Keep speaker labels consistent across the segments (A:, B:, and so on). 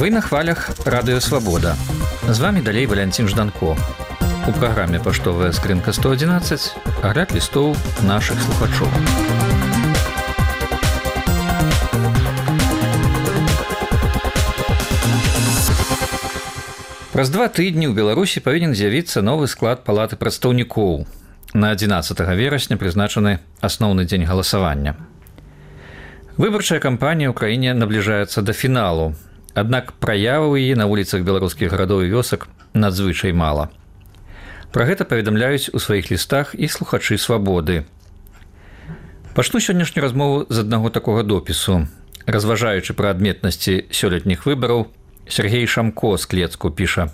A: Вы на хвалях Радыё Свабода. З вами далей Валянцін Жданко. У праграме «Паштовая скрынка 111» агляд лістоў нашых слухачоў. Праз 2 тыдні ў Беларусі павінен з'явіцца новы склад палаты прадстаўнікоў. На 11 верасня прызначаны асноўны дзень галасавання. Выбарчая кампанія ў краіне набліжаецца да фіналу, аднак праяваў яе на вуліцах беларускіх гарадоў і вёсак надзвычай мала. Пра гэта паведамляюць у сваіх лістах і слухачы «Свабоды». Пачну сённяшнюю размову з аднаго такога допісу. Разважаючы пра адметнасці сёлетніх выбараў, Сергей Шамко з Клецку піша: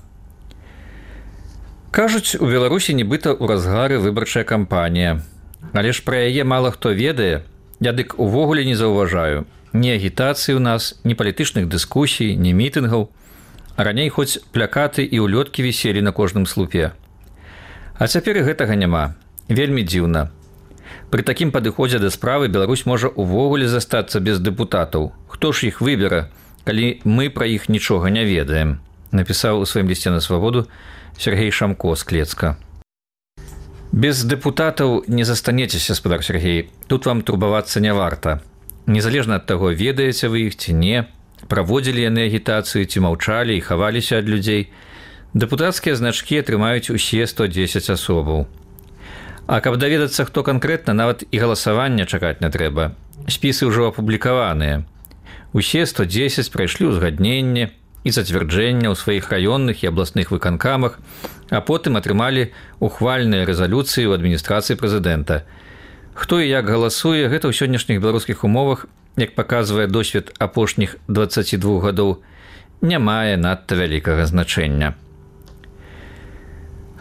A: «Кажуць, у Беларусі нібыта ў разгары выбарчая кампанія. Але ж пра яе мала хто ведае, я дык увогуле не заўважаю. Ні агітацыі ў нас, ні палітычных дыскусій, ні мітынгаў. А раней хоць плякаты і ўлёткі віселі на кожным слупе. А цяпер і гэтага няма. Вельмі дзіўна. Пры такім падыходзе да справы Беларусь можа увогуле застацца без дэпутатаў. Хто ж іх выбера, калі мы пра іх нічога не ведаем», напісаў у сваім лісце на «Свабоду» Сергей Шамко з Клецка. Без дэпутатаў не застанецеся, спадар Сергей. Тут вам турбавацца не варта. Незалежна ад таго, ведаеце вы іх ці не, праводзілі яны агітацыю ці маўчалі і хаваліся ад людзей, дэпутацкія значкі атрымаюць усе 110 асобаў. А каб даведацца, хто канкрэтна, нават і галасавання чакаць не трэба. Спісы ўжо апублікаваныя. Усе 110 прайшлі ўзгадненне і зацвярджэння ў сваіх раённых і абласных выканкамах, а потым атрымалі ухвальныя рэзалюцыі ў адміністрацыі прэзідэнта. Хто і як галасуе, гэта ў сённяшніх беларускіх умовах, як паказвае досвед апошніх 22 гадоў, не мае надта вялікага значэння.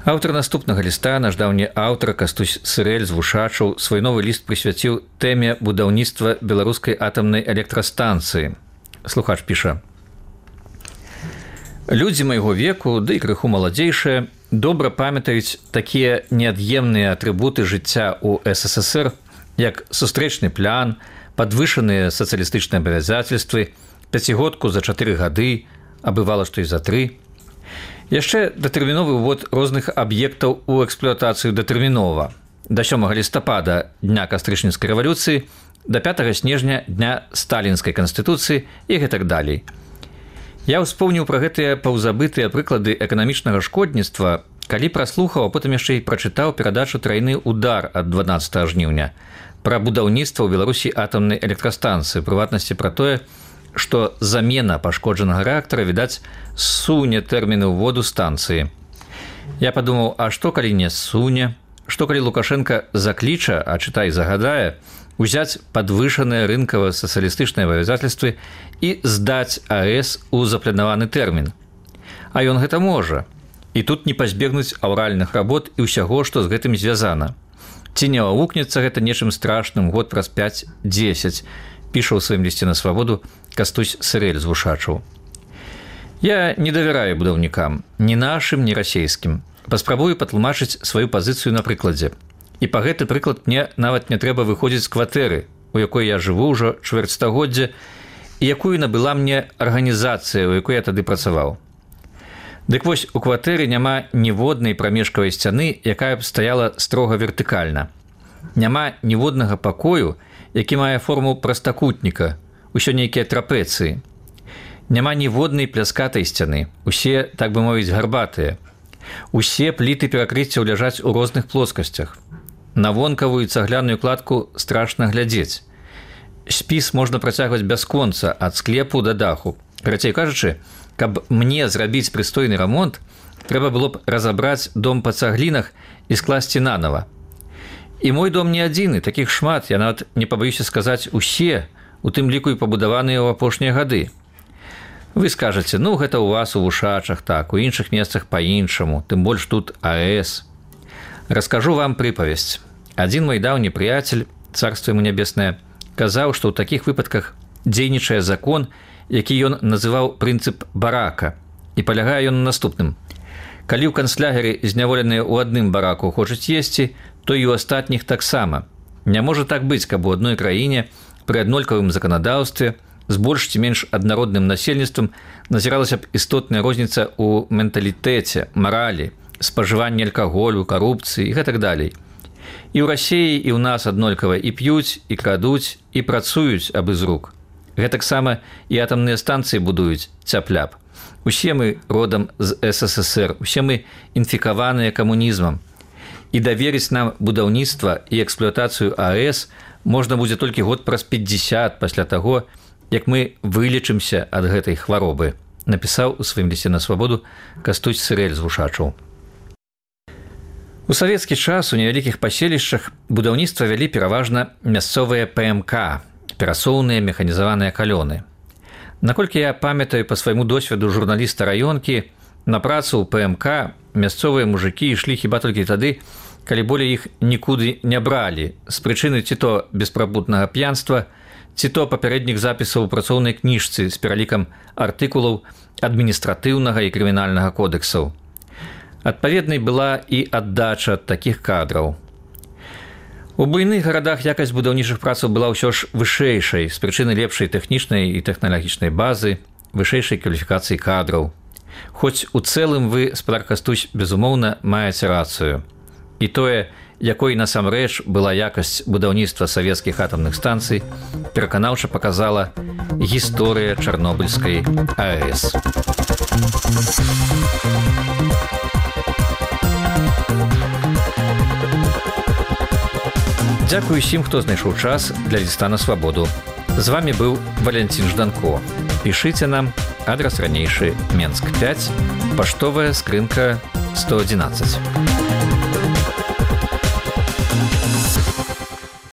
A: Аўтар наступнага ліста, наш даўні аўтар Кастусь Сырэль з Вушачаў, свой новы ліст прысвяціў тэме будаўніцтва беларускай атамнай электрастанцыі. Слухач піша: «Людзі майго веку, ды і крыху маладзейшыя, добра памятаюць такія неад'емныя атрыбуты жыцця ў СССР, як сустрэчны план, падвышаныя сацыялістычныя абавязацельствы, пяцігодку за 4 гады, а бывала, што і за 3. Яшчэ датэрміновы ўвод розных аб'ектаў у эксплуатацыю датэрмінова. Да 7 лістапада дня кастрычніцкай рэвалюцыі, да 5 снежня дня сталінскай канстытуцыі і гэтак далей. Я ўспомніў пра гэтыя паўзабытыя прыклады эканамічнага шкодніцтва, калі праслухаў, а потым яшчэ і прачытаў перадачу «Трайны удар» ад 12 жніўня пра будаўніцтва ў Беларусі атамнай электрастанцыі, прыватнасці пра тое, што замена пашкоджанага рэактара, відаць, суне тэрміны ўводу станцыі. Я падумаў, а што калі не суне? Што калі Лукашенка закліча, а чытай загадае, узяць падвышаныя рынкава-сацыялістычныя абавязацельствы і здаць АЭС у запланаваны тэрмін. А ён гэта можа. І тут не пазбегнуць аўральных работ і ўсяго, што з гэтым звязана. Ці не аукнецца гэта нечым страшным год праз 5-10, піша ў сваім лісце на «Свабоду» Кастусь Сырэль з Вушачаў. Я не давяраю будаўнікам, ні нашым, ні расейскім. Паспрабую патлумачыць сваю пазіцыю на прыкладзе. І па гэты прыклад мне нават не трэба выходзіць з кватэры, у якой я жыву ўжо чвэрцьстагоддзя, і якую набыла мне арганізацыя, у якой я тады працаваў. Дык вось, у кватэры няма ніводнай прамежкавай сцяны, якая б стаяла строга вертыкальна. Няма ніводнага пакою, які мае форму прастакутніка, усё нейкія трапецыі. Няма ніводнай пляскатай сцяны, усе, так бы мовіць, гарбатыя. Усе пліты перакрыццяў ляжаць у розных плоскасцях. На вонкавую цагляную кладку страшна глядзець. Спіс можна працягваць бясконца ад склепу да даху. Карацей кажучы, каб мне зрабіць прыстойны рамонт, трэба было б разабраць дом па цаглінах і скласці нанава. І мой дом не адзіны, такіх шмат, я нават не пабаюся сказаць усе, у тым ліку і пабудаваныя ў апошнія гады. Вы скажаце, ну гэта ў вас у Вушачах так, у іншых месцах па-іншаму, тым больш тут АЭС. Раскажу вам прыпавесць. Адзін мой даўні прыяцель, царства яму нябеснае, казаў, што ў такіх выпадках дзейнічае закон, які ён называў прынцып барака. І палягае ён на наступным. Калі ў канцлягеры зняволеныя ў адным бараку хочуць есці, то і ў астатніх таксама. Не можа так быць, каб у адной краіне пры аднолькавым заканадаўстве з больш ці менш аднародным насельніцтвам назіралася б істотная розніца ў менталітэце, маралі, спажыванні алкаголю, карупцыі і гэтак далей. І ў Расіі, і ў нас аднолькава і п'юць, і крадуць, і працуюць абы з рук. Гэтаксама і атамныя станцыі будуюць цяп-ляп. Усе мы родам з СССР, усе мы інфікаваныя камунізмам. І даверыць нам будаўніцтва і эксплуатацыю АЭС можна будзе толькі год праз 50 пасля таго, як мы вылечымся ад гэтай хваробы, напісаў у сваім лісце на свабоду Кастусь Сырэль з Вушачаў. У савецкі час у невялікіх паселішчах будаўніцтва вялі пераважна мясцовыя ПМК, перасоўныя механізаваныя калёны. Наколькі я памятаю па свайму досведу журналіста раёнкі, на працу ў ПМК мясцовыя мужыкі ішлі хіба толькі тады, калі болей іх нікуды не бралі, з прычыны ці то беспрабуднага п'янства, ці то папярэдніх запісаў у працоўнай кніжцы з пералікам артыкулаў адміністратыўнага і крымінальнага кодэксаў. Адпаведнай была і аддача такіх кадраў. У буйных гарадах якасць будаўнічых працаў была ўсё ж вышэйшай з прычыны лепшай тэхнічнай і тэхналагічнай базы, вышэйшай кваліфікацыі кадраў. Хоць у цэлым вы, спадар Кастусь, безумоўна, маеце рацыю. І тое, якой насамрэч была якасць будаўніцтва савецкіх атамных станцый, пераканаўча паказала гісторыя Чарнобыльскай АЭС. Дзякую усім, хто знайшоў час для ліста на свабоду. З вами быў Валянцін Жданко. Пішыце нам, адрас ранейшы, Менск 5, паштовая скрынка 111.